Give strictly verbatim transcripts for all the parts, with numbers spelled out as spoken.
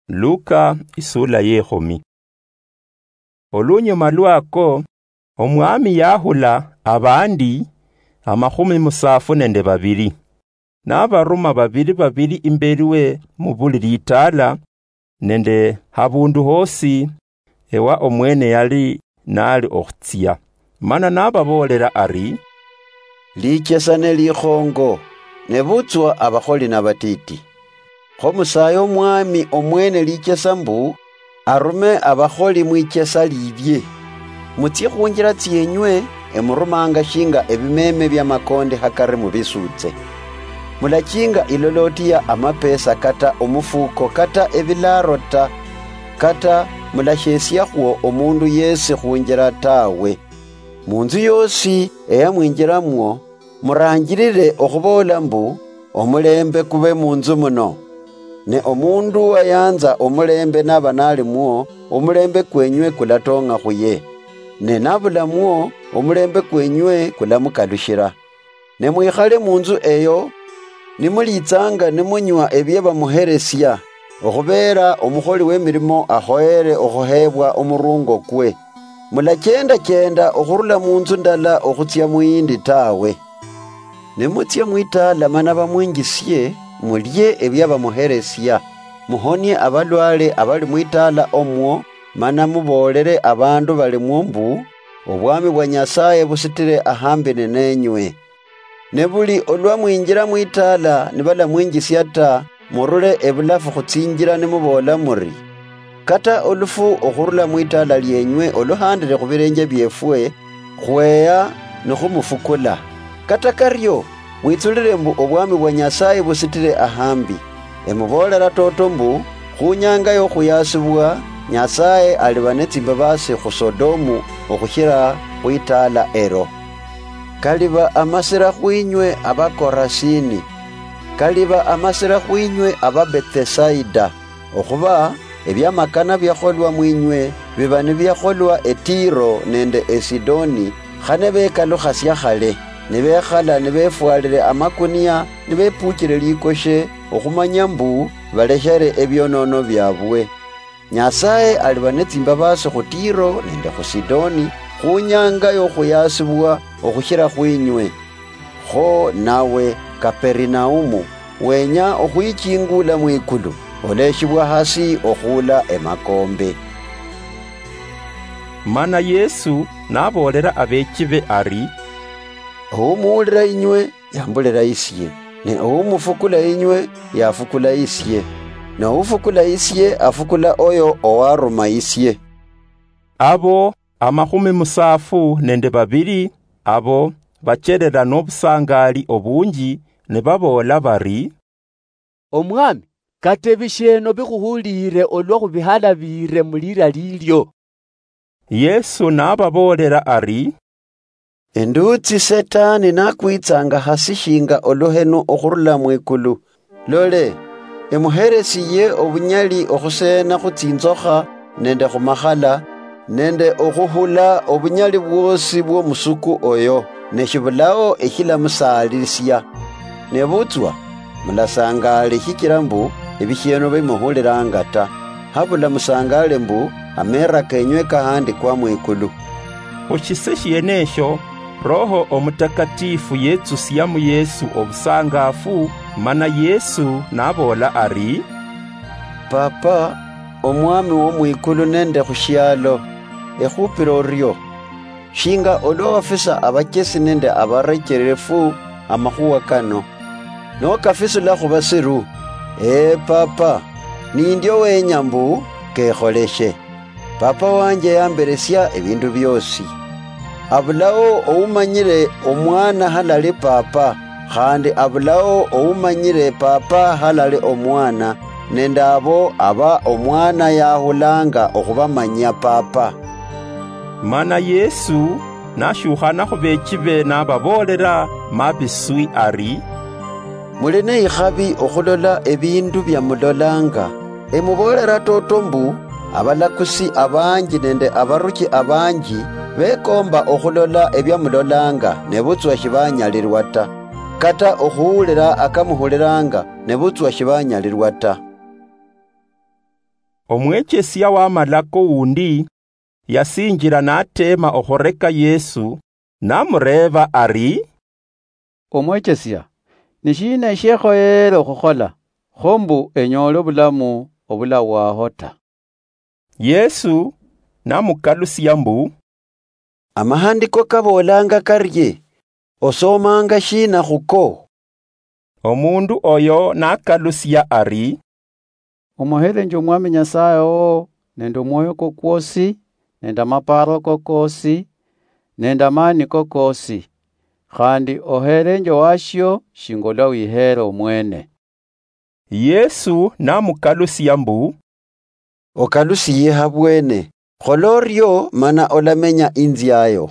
Luka isula yekhumi. Olunyuma lwako, Omwami yahula abandi amakhumi musaafu nende babili, nabaruma babili babili imbeli we mu buli litaala nende habundu hosi ewa omwene yali nali okhutsia. Mana nababoolera ari, "Lichesa ne likhongo, nebutswa abakholi nabatiti. Kho musaye Omwami omwene lichesa mbu arume abakholi mwichesa lilye. Mutsie khunjira tsienywe, emurumanga shinga ebimeme bia makondi hakari mubisutse. Mulachinga iloloti ya amapesa kata omufuko kata ebilaro ta, kata mulashesiakhwo omundu yesi khunjira tawe. Munzu yosi eyamwinjiramwo, muranjirire okhuboola mbu, 'Omulembe kube munzu muno.' Ne omundu wayanza omulembe naba nalimwo, omulembe kwenywe kulatong'a khuye. Ne nabulamwo, omulembe kwenywe kulamukalushira. Ne mwikhale munzu eyo, nimulitsanga nimunywa ebia bamuheresia, okhubeera omukholi w'emirimo akhoyere okhuheebwa omurungo kwe. Mulachenda-chenda okhurula munzu ndala okhutsia muyindi tawe. Nimutsia mwitaala mana bamwinjisie, mulie ebia bamuheresia, muhonie abalwale abali mwitaala omwo, mana muboolere abandu balimwo mbu, 'Obwami bwa Nyasaye busitire ahambi ninenywe.' Ne buli olwa mwinjira mwitaala nibalamwinjisia ta, murule ebulafu khutsinjira nimuboola muri, 'Kata olufu okhurula mwitaala lienywe oluhandire khubirenje biefwe, khweya nikhumufukula.' Kata kario, mwitsulire mbu obwami bwa Nyasaye busitire ahambi. Emuboolera toto mbu, khunyanga yokhuyasibwa, Nyasaye aliba netsimbabasi khu Sodomu okhushira khwitaala ero. Kaliba amasira khwinywe Abakorasini! Kaliba amasira khwinywe Ababethisaida! Okhuba ebiamakana biakholwa mwinywe biba nibiakholwa eTiro nende eSidoni, khane bekalukhasia khale, nibekhala nibefwalire amakunia, nibepuchire likoshe, okhumanya mbu baleshere ebionono biabwe. Nyasaye aliba netsimbabasi khu Tiro nende khu Sidoni, khunyanga yokhuyasibwa okhushira khwinywe. Kho nawe, Kaperinaumu, wenya okhwichingula mwikulu, oleshibwa hasi okhuula emakombe. Mana Yesu naboolera abechibe ari, Oumuulira inywe, yambulira isie, ne oumufukula inywe, yafukula isie, ne oufukula isie, afukula oyo owaruma isie. Abo amakhumi musaafu nende babili abo bacherera nobusangali obunji, nibaboola bari, Omwami, kata ebishieno bikhuhuliire olwa khubihalabire mulira lilio. Yesu nababoolera ari, Endutsi Setani nakwitsanga hasi shinga oluhenu okhurula mwikulu. Lole, emuheresiye obunyali okhuseena khu tsinzokha nende khumakhala, nende okhuhula obunyali bwosi bwomusuku oyo, ne shibulao eshilamusaalisia. Nebutswa, mulasangaale shichila mbu ebishieno bimuhulilanga ta, habula musangaale mbu ameera kenywe kahandikwa mwikulu. Khushise shienesho, Roho Omutakatifu yetsusia mu Yesu obusangafu, mana Yesu naboola ari, Papa, Omwami womwikulu nende khushialo, ekhupira orio, shinga olwa wafisa abachesi nende abarecherefu amakhuwa kano, nokafisula khubasiru. Ee Papa, nindio wenya mbu kekholeshe. Papa wanje yamberesia ebindu biosi. Abulao oumanyire Omwana halali Papa, khandi abulao oumanyire Papa halali Omwana, nende abo aba Omwana yahulanga okhubamanyia Papa. Mana Yesu nashukhana khubechibe nababoolera mabiswi ari, Muli neikhabi okhulola ebindu bia mulolanga. Emuboolera toto mbu, abalakusi abanji nende abaruchi abanji bekomba okhulola ebia mulolanga, nebutswa shibanyalirwa ta, kata okhuhulira akamuhuliranga, nebutswa shibanyalirwa ta. Omwechesia w'amalako wundi yasinjila nateema okhureka Yesu, namureeba ari, "Omwechesia, ni shiina eshekhoyere okhukhola, kho mbu enyoole obulamu obulawaaho ta?" Yesu namukalusia mbu, "Amahandiko kaboolanga karie? Osoomanga shiina khuko?" Omundu oyo nakalusia ari, "Omuheerenje Omwami Nyasaye wowo nende omwoyo kwo kwosi, nende amapaaro ko koosi, nende amaani ko koosi, khandi oheerenje owashio shinga olwa wiheere omwene." Yesu namukalusia mbu, "Okalusiye habwene, khola orio mana olamenya inziayo."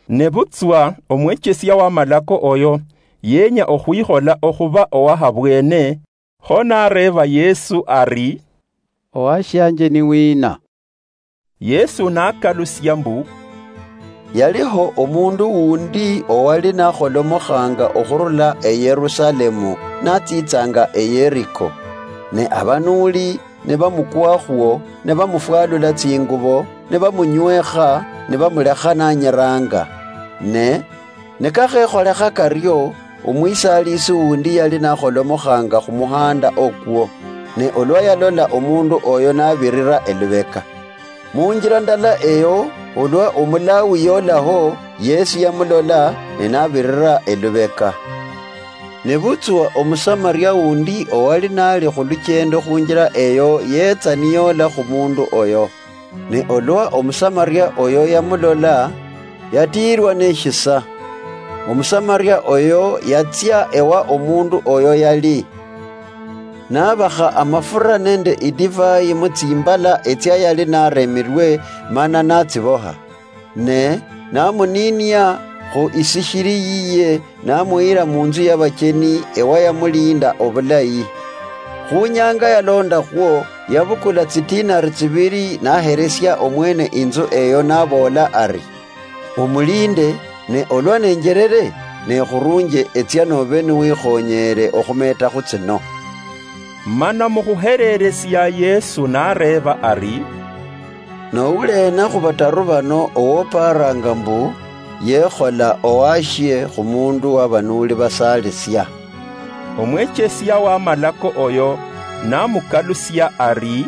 Nebutswa omwechesia w'amalako oyo yenya okhwikhola okhuba owahabwene, kho nareeba Yesu ari, "Owashianje ni wina?" Yesu nakalusia mbu, "Yaliho omundu wundi owali nakholomokhanga okhurula eYerusalemu natsitsanga eYeriko, ne abanuli nibamukwakhuo, nibamufwalula tsingubo, nibamunywekha, nibamulekha nanyiranga. Ne nikakhekholekha kario, omwisalisi wundi yali nakholomokhanga khumuhanda okwo, ne olwa yalola omundu oyo nabirira elubeka. Munjila ndala eyo, olwa Omulawi yolaho, Yesu yamulola, ne nabirira elubeka. Nebutswa Omusamaria wundi owali nali khuluchendo khunjila eyo yetsa niyola khumundu oyo. Ne olwa Omusamaria oyo yamulola, yatiirwa neshisa. Omusamaria oyo yatsia ewa omundu oyo yali, nabakha amafura nende idivai mutsimbala etsia yali naremirwe, mana natsiboha. Ne namuninia khu isishiri yiye, namuyira munzu yabacheni ewa yamulinda obulayi. Khunyanga yalondakhwo, yabukula tsitinari tsibiri naheresia omwene inzu eyo, naboola ari, "Omulinde, ne olwa nenjerere, nekhurunje etsia nobe niwikhonyere okhumetakhu tsino." Mana mukhuhereresia Yesu nareeba ari, "Nowuleena khubataru bano owoparanga mbu yekhola owashie khumundu wabanuli basalisia?" Omwechesia w'amalako oyo namukalusia ari,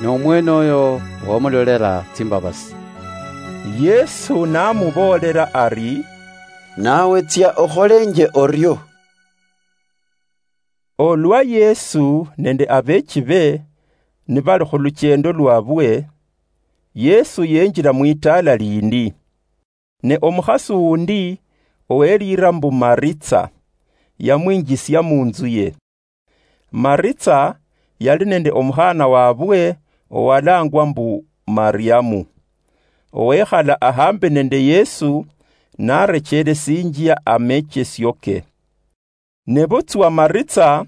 "Nomwene oyo wamulolera tsimbabasi." Yesu namuboolera ari, "Nawe tsia okholenje orio." Olwa Yesu nende abeechibe nibali khuluchendo lwabwe, Yesu yenjila mwitaala lindi. Ne omukhasi wundi oweliira mbu Maritsa, yamwinjisia munzu ye. Maritsa yali nende omukhana wabwe owalangwa mbu Mariamu, owekhala ahambi nende Yesu, narechelesinjia amechesio ke. Nebutswa Maritsa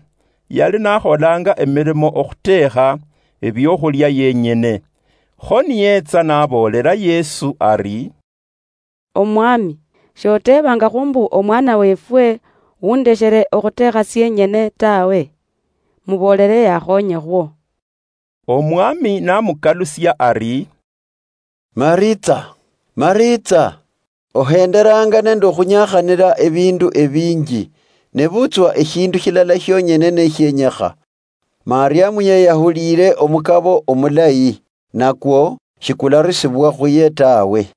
yali nakholanga emirimo okhutekha ebiokhulia yenyene. Kho niyetsa naboolera Yesu ari, "Omwami, shotebangakhwo mbu omwana wefwe wundeshere okhutekha sienyene tawe? Muboolere yakhonyekhwo." Omwami namukalusia ari, "Maritsa, Maritsa, ohenderanga nende okhunyakhanira ebindu ebinji, nebutswa eshindu shilala shionyene neshienyekha. Mariamu yeyahuliire omukabo omulayi, nakwo shikularusibwa khuye tawe.